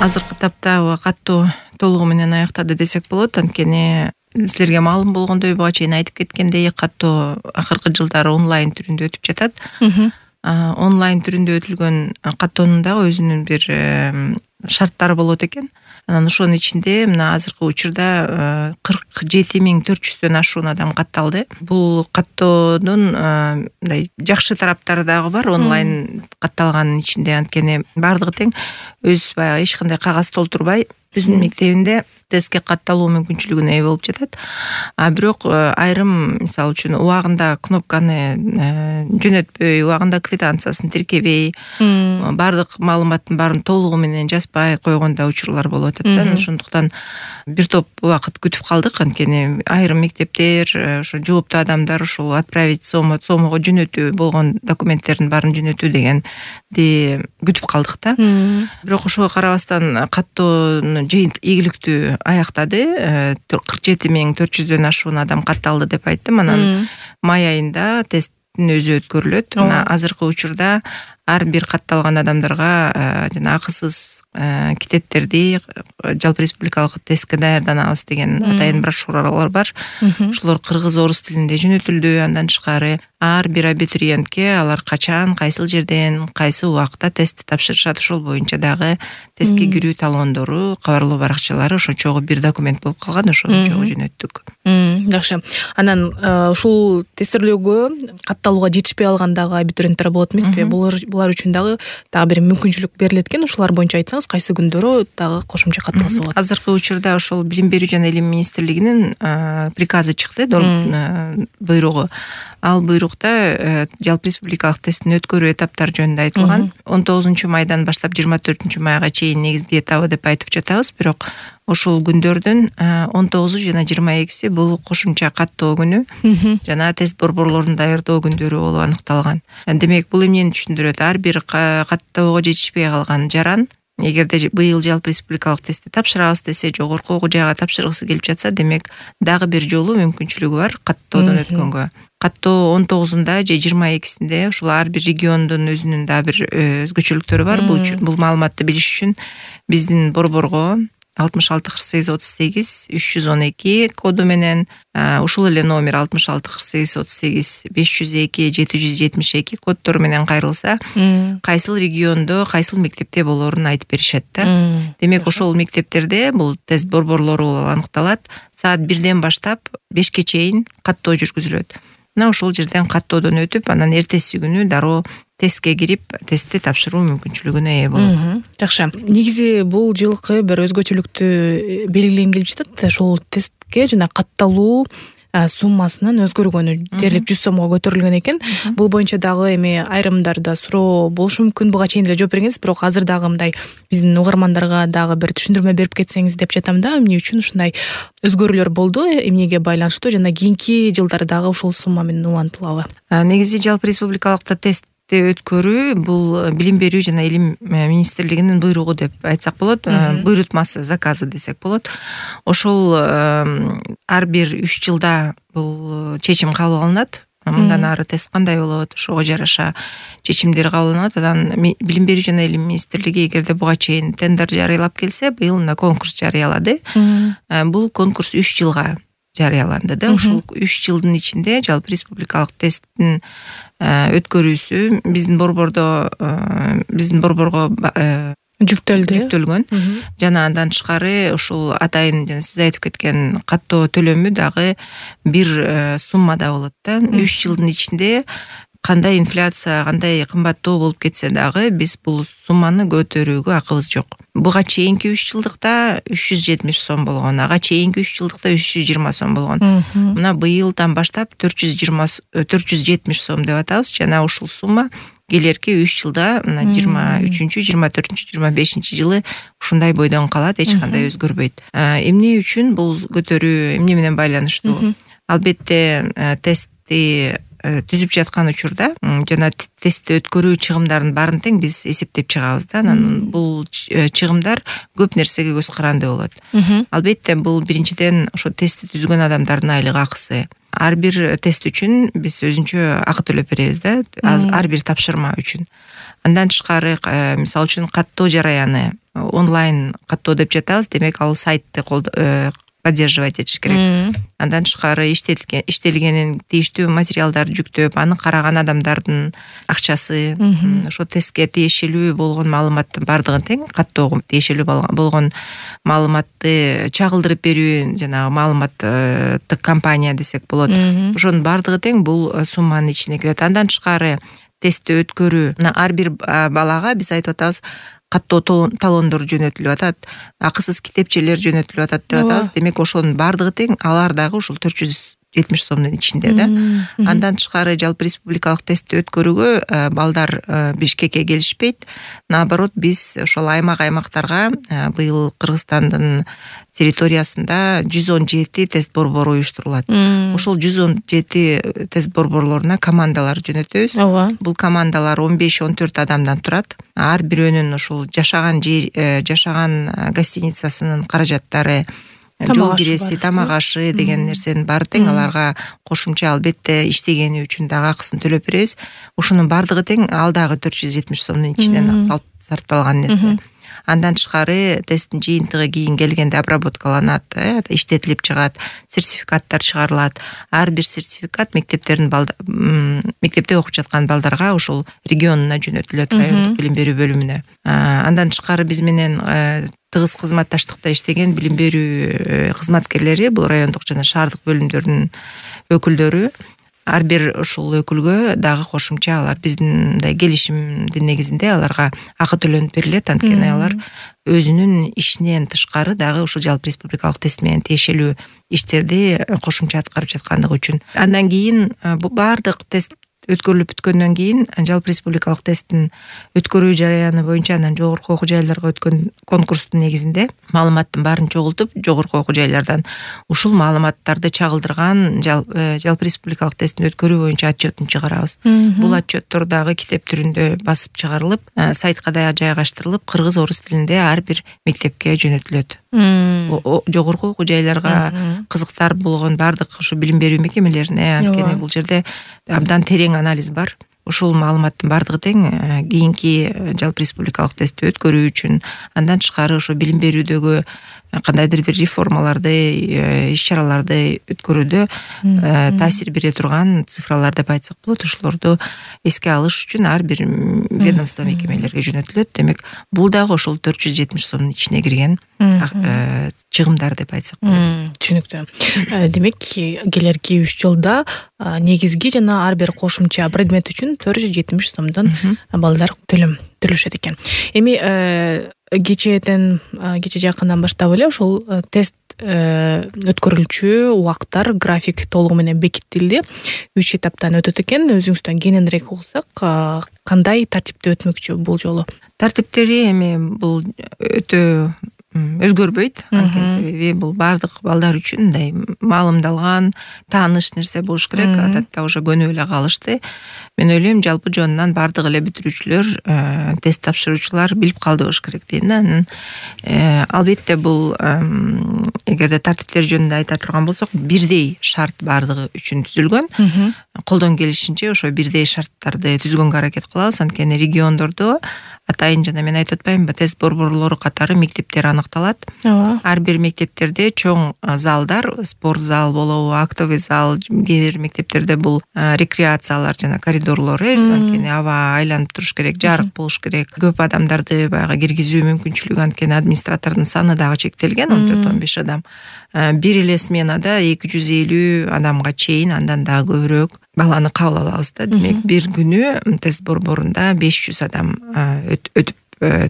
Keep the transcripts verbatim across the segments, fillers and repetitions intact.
азыркы тапта каттоо толугу менен аяктады десек болот. Анткени силерге маалым болгондой, буга чейин айтып кеткендей, каттоо акыркы жылдары онлайн түрүндө өтүп жатат. Онлайн түрүндө өтүлгөн каттоонун дагы өзүнүн бир шарттары болот экен. Анан ошонун ичинде мына азыркы учурда кырк жети миң төрт жүздөн ашуун адам катталды. Бул каттоонун мындай жакшы тараптары дагы бар онлайн катталганын ичинде. Анткени баардыгы тең өз баягы эч кандай кагаз толтурбай өзүнүн мектебинде тестке катталуу мүмкүнчүлүгүнө ээ болуп жатат. А бирок айрым мисалы үчүн убагында кнопканы жөнөтпөй, убагында квитанциясын тиркебей, баардык маалыматтын баарын толугу менен жазбай койгондо учурлар болуп атат да. Ошондуктан бир топ убакыт күтүп калдык. Анткени айрым мектептер, ошо жооптуу адамдар ушул отправить сомо сомого жөнөтүү болгон документтердин баарын жөнөтүү дегенди күтүп калдык да. Бирок ошого карабастан каттоону ийгиликтүү аяктады. кырк жети миң төрт жүздөн ашуун адам катталды деп айттым. Анан май айында тесттин өзү өткөрүлөт. Мына азыркы учурда ар бир катталган адамдарга жана акысыз китептерди жалпы республикалык тестке даярданабыз деген атайын брошюралар бар. Ушулар кыргыз, орус тилинде жөнөтүлдү. Андан тышкары ар бир абитуриентке алар качан, кайсыл жерден, кайсы убакта тестти тапшырышат, ошол боюнча дагы тестке кирүү талондору, кабарлоо баракчалары ошо чогуу бир документ болуп калган. Ошону чогуу жөнөттүк. Жакшы. Анан ушул тестирлөөгө катталууга жетишпей алган дагы абитуриенттер болот эмеспи? Булар булар үчүн дагы дагы бир мүмкүнчүлүк берилет экен. Ушулар боюнча айтсаңыз, кайсы күндөрү дагы кошумча катталса болот? Азыркы учурда ошол Билим берүү жана Илим министрлигинин приказы чыкты, буйругу. Ал буйрукта жалпы республикалык тесттин өткөрүү этаптары жөнүндө айтылган. он тогузунчу майдан баштап жыйырма төртүнчү майга чейин негизги этабы деп айтып жатабыз. Бирок ошол күндөрдүн он тогузу жана жыйырма экиси бул кошумча каттоо күнү жана тест борборлорун даярдоо күндөрү болуп аныкталган. Демек, бул эмнени түшүндүрөт? Ар бир каттоого жетишпей калган жаран эгерде быйыл жалпы республикалык тестти тапшырабыз десе, жогорку окуу жайга тапшыргысы келип жатса, демек дагы бир жолу мүмкүнчүлүгү бар каттоодон өткөнгө. Каттоо он тогузунда же жыйырма экисинде ушул ар бир региондун өзүнүн да бир өзгөчөлүктөрү бар. Бул бул маалыматты билиш үчүн биздин борборго алтымыш алты кырк сегиз отуз сегиз үч жүз он эки коду менен, ушул эле номер алтымыш алты кырк сегиз отуз сегиз беш жүз эки жети жүз жетимиш эки коддору менен кайрылса, кайсыл региондо, кайсыл мектепте болоорун айтып беришет да. Демек, ошол мектептерде бул тест борборлору болуп аныкталат. Саат бирден баштап бешке чейин каттоо жүргүзүлөт. Мына ошол жерден каттоодон өтүп, анан эртеси күнү дароо тестке кирип, тестти тапшыруу мүмкүнчүлүгүнө ээ болот. Жакшы. Негизи бул жылкы бир өзгөчөлүктү белгилеген келип жатат. Ошол тестке жана катталуу суммасынын өзгөргөнү дээрлик жүз сомго көтөрүлгөн экен. Бул боюнча дагы эми айрымдарда суроо болушу мүмкүн. Буга чейин эле жооп бергенсиз, бирок азыр дагы мындай биздин угармандарга дагы бир түшүндүрмө берип кетсеңиз деп жатам да. Эмне үчүн ушундай өзгөрүүлөр болду, эмнеге байланыштуу жана кийинки жылдары дагы ушул сумма менен улантылабы? Негизи жалпы республикалыкта тест өткөрүү бул Билим берүү жана Илим министрлигинин буйругу деп айтсак болот, буйрутмасы, заказы десек болот. Ошол ар бир үч жылда бул чечим кабыл алынат. Мындан ары тест кандай болот, ошого жараша чечимдер кабыл алынат. Анан Билим берүү жана Илим министрлиги эгерде буга чейин тендер жарыялап келсе, быйыл мына конкурс жарыялады. Бул конкурс үч жылга жарыяланды да. Ушул үч жылдын ичинде жалпы республикалык тесттин өткөрүүсү биздин борбордо биздин борборго жүктөлдү жүктөлгөн. Жана андан тышкары ушул атайын жана сиз айтып кеткен каттоо төлөмү дагы бир суммада болот да. үч жылдын ичинде кандай инфляция, кандай кымбаттоо болуп кетсе дагы биз бул сумманы көтөрүүгө акыбыз жок. Буга чейинки үч жылдыкта үч жүз жетимиш сом болгон, ага чейинки үч жылдыкта үч жүз жыйырма сом болгон. Мына быйылдан баштап төрт жүз жыйырма төрт жүз жетимиш сом деп атабыз. Жана ушул сумма келерки үч жылда мына жыйырма үчүнчү, жыйырма төртүнчү, жыйырма бешинчи жылы ушундай бойдон калат, эч кандай өзгөрбөйт. Эмне үчүн бул көтөрүү, эмне менен байланыштуу? Албетте тестти түзүп жаткан учурда жана тестти өткөрүү чыгымдарын баарын тең биз эсептеп чыгабыз да. Анан бул чыгымдар көп нерсеге көз каранды болот. Албетте бул биринчиден ошо тестти түзгөн адамдардын айлык акысы. Ар бир тест үчүн биз өзүнчө акы төлөп беребиз да, ар бир тапшырма үчүн. Андан тышкары, мисалы үчүн каттоо жараяны онлайн каттоо деп жатабыз. Демек ал сайтты поддерживать этиш керек. Андан тышкары иштелген иштелгенин тийиштүү материалдарды жүктөп, аны караган адамдардын акчасы, ошо тестке тиешелүү болгон маалыматтын бардыгын тең каттоого тиешелүү болгон маалыматты чагылдырып берүү, жанагы маалыматтык компания десек болот. Ошонун бардыгы тең бул сумманын ичине кирет. Андан тышкары тестти өткөрүү. Ар бир балага биз айтып атабыз, каттоо талондор жөнөтүлүп атат, акысыз китепчелер жөнөтүлүп атат деп атабыз. Демек ошонун бардыгы тең алар дагы ушул төрт жүз жетимиш сомдун ичинде да. Андан тышкары жалпы республикалык тестти өткөрүүгө балдар Бишкекке келишпейт. Наоборот, биз ошол аймак-аймактарга быйыл Кыргызстандын территориясында жүз он жети тест борбору уюштурулат. Ошол жүз он жети тест борборлоруна командалар жөнөтөбүз. Бул командалар он беш он төрт адамдан турат. Ар бирөөнүн ошол жашаган жер, жашаган гостиницасынын каражаттары, жол киреси, тамак ашы деген нерсенин баары тең аларга кошумча албетте иштегени үчүн дагы акысын төлөп беребиз. Ошонун бардыгы тең ал дагы төрт жүз жетимиш сомдун ичинен сарпталган нерсе. Андан тышкары тесттин жыйынтыгы кийин келгенде обработкаланат, иштетилип чыгат, сертификаттар чыгарылат. Ар бир сертификат мектептердин мектепте окуп жаткан балдарга ошол регионуна жөнөтүлөт, райондук билим берүү бөлүмүнө. Андан тышкары биз менен тыгыз кызматташтыкта иштеген билим берүү кызматкерлери, бул райондук жана шаардык бөлүмдөрдүн өкүлдөрү, ар бир ушул өкүлгө дагы кошумча алар биздин мындай келишимдин негизинде аларга акы төлөнүп берилет. Анткени алар өзүнүн ишинен тышкары дагы ушул жалпы республикалык тест менен тиешелүү иштерди кошумча аткарып жаткандыгы үчүн. Андан кийин баардык тест өткөрүлүп бүткөндөн кийин жалпы республикалык тесттин өткөрүү жараяны боюнча анан жогорку окуу жайларга өткөн конкурстун негизинде маалыматтын баарын чогултуп, жогорку окуу жайлардан ушул маалыматтарды чагылдырган жалпы республикалык тесттин өткөрүү боюнча отчетун чыгарабыз. Бул отчеттор дагы китеп түрүндө басып чыгарылып, сайтка да жайгаштырылып, кыргыз, орус тилинде ар бир мектепке жөнөтүлөт. Жогорку окуу жайларга кызыктар болгон бардык ушу билим берүү мекемелерине, анткени бул жерде абдан терең анализ бар. Ушул маалыматтын бардыгы тең кийинки жалпы республикалык тестти өткөрүү үчүн, андан тышкары ошо билим берүүдөгү кандайдыр бир реформаларды, иш-чараларды өткөрүүдө таасир бере турган цифралар деп айтсак болот. Ошолорду эске алыш үчүн ар бир ведомство мекемелерге жөнөтүлөт. Демек, бул дагы ошол төрт жүз жетимиш сомдун ичине кирген чыгымдар деп айтсак болот. Түшүнүктүү. Демек, келерки үч жылда негизги жана ар бир кошумча предмет үчүн төрт жүз жетимиш сомдон балдар төлөм төлөшөт экен. Эми кечээден кече жакындан баштап эле ошол тест өткөрүлчү убакыттар, график толугу менен бекитилди. үч этаптан өтөт экен. Өзүңүздөн кененирээк угсак, кандай тартипте өтмөкчү бул жолу? Тартиптери эми бул өтө өзгөрбөйт. Анткени себеби бул бардык балдар үчүн мындай маалымдалган, тааныш нерсе болуш керек. Адатта уже көнүп эле калышты. Мен ойлойм, жалпы жонунан бардык эле бүтүрүүчүлөр, тест тапшыруучулар билип калды болуш керек дейм да. Албетте бул эгерде тартиптер жөнүндө айта турган болсок, бирдей шарт бардыгы үчүн түзүлгөн. Колдон келишинче ошо бирдей шарттарды түзгөнгө аракет кылабыз. Анткени региондордо атайын жана мен айтып атпаймынбы, тест борборлору катары мектептер аныкталат. Ар бир мектептерде чоң залдар, спорт зал болобу, актовый зал, кээ бир мектептерде бул рекреациялар жана коридорлору, анткени аба айланып туруш керек, жарык болуш керек. Көп адамдарды баягы киргизүү мүмкүнчүлүгү, анткени администратордун саны дагы чектелген, он төрт он беш адам. Бир эле сменада эки жүз элүү адамга чейин, андан дагы көбүрөөк баланы кабыл алабыз да. Демек, бир күнү тест борборунда беш жүз адам өтүп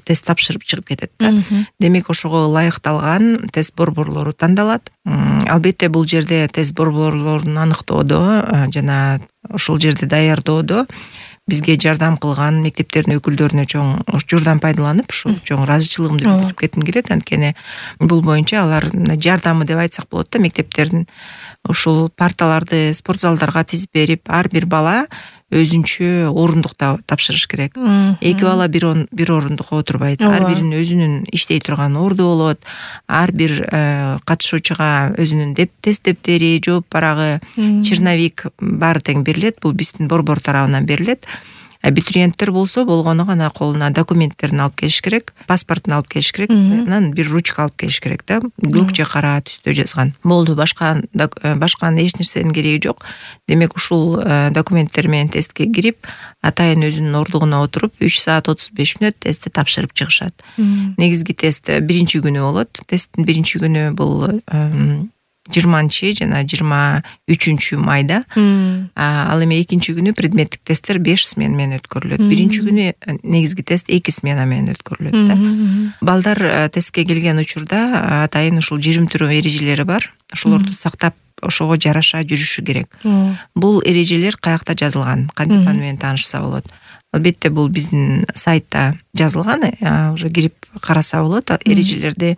тест тапшырып чыгып кетет да. Демек, ошого ылайыкталган тест борборлору тандалат. Албетте, бул жерде тест борборлорун аныктоодо жана ошол жерде даярдоодо бизге жардам кылган мектептердин өкүлдөрүнө чоң журдан пайдаланып, ушул чоң ыраазычылыгымды билдирип кетким келет. Анткени бул боюнча алар жардамы деп айтсак болот да, мектептердин ушул парталарды спорт залдарга тизип берип, ар бир бала өзүнчө орундукта тапшырыш керек. Эки бала бир бир орундукка отурбайт. Ар биринин өзүнүн иштей турган орду болот. Ар бир катышуучуга өзүнүн тест дептери, жооп барагы, черновик баары тең берилет. Бул биздин борбор тарабынан берилет. абитуриенттер болсо болгону гана колуна документтерин алып келиш керек, паспортун алып келиш керек, анан бир ручка алып келиш керек да, көк же кара түстө жазган. Болду, башка башка эч нерсенин кереги жок. Демек ушул документтер менен тестке кирип, атайын өзүнүн ордугуна отуруп үч саат отуз беш мүнөт тестти тапшырып чыгышат. Негизги тест биринчи күнү болот. Тесттин биринчи күнү бул жыйырманчы жана жыйырма үчүнчү майда. Ал эми экинчи күнү предметтик тесттер беш смена менен өткөрүлөт. Биринчи күнү негизги тест эки смена менен өткөрүлөт да. Балдар тестке келген учурда атайын ушул жүрүм-турум эрежелери бар. Ошолорду сактап, ошого жараша жүрүшү керек. Бул эрежелер каякта жазылган? Кантип аны менен таанышса болот? Албетте бул биздин сайтта жазылган, уже кирип караса болот. Эрежелерде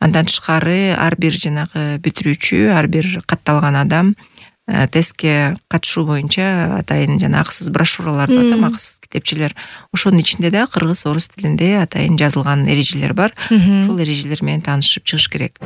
андан тышкары ар бир жанагы бүтүрүүчү, ар бир катталган адам тестке катышуу боюнча атайын жана акысыз брошюраларды атам, акысыз китепчелер. Ошонун ичинде да кыргыз, орус тилинде атайын жазылган эрежелер бар. Ошол эрежелер менен таанышып чыгыш керек.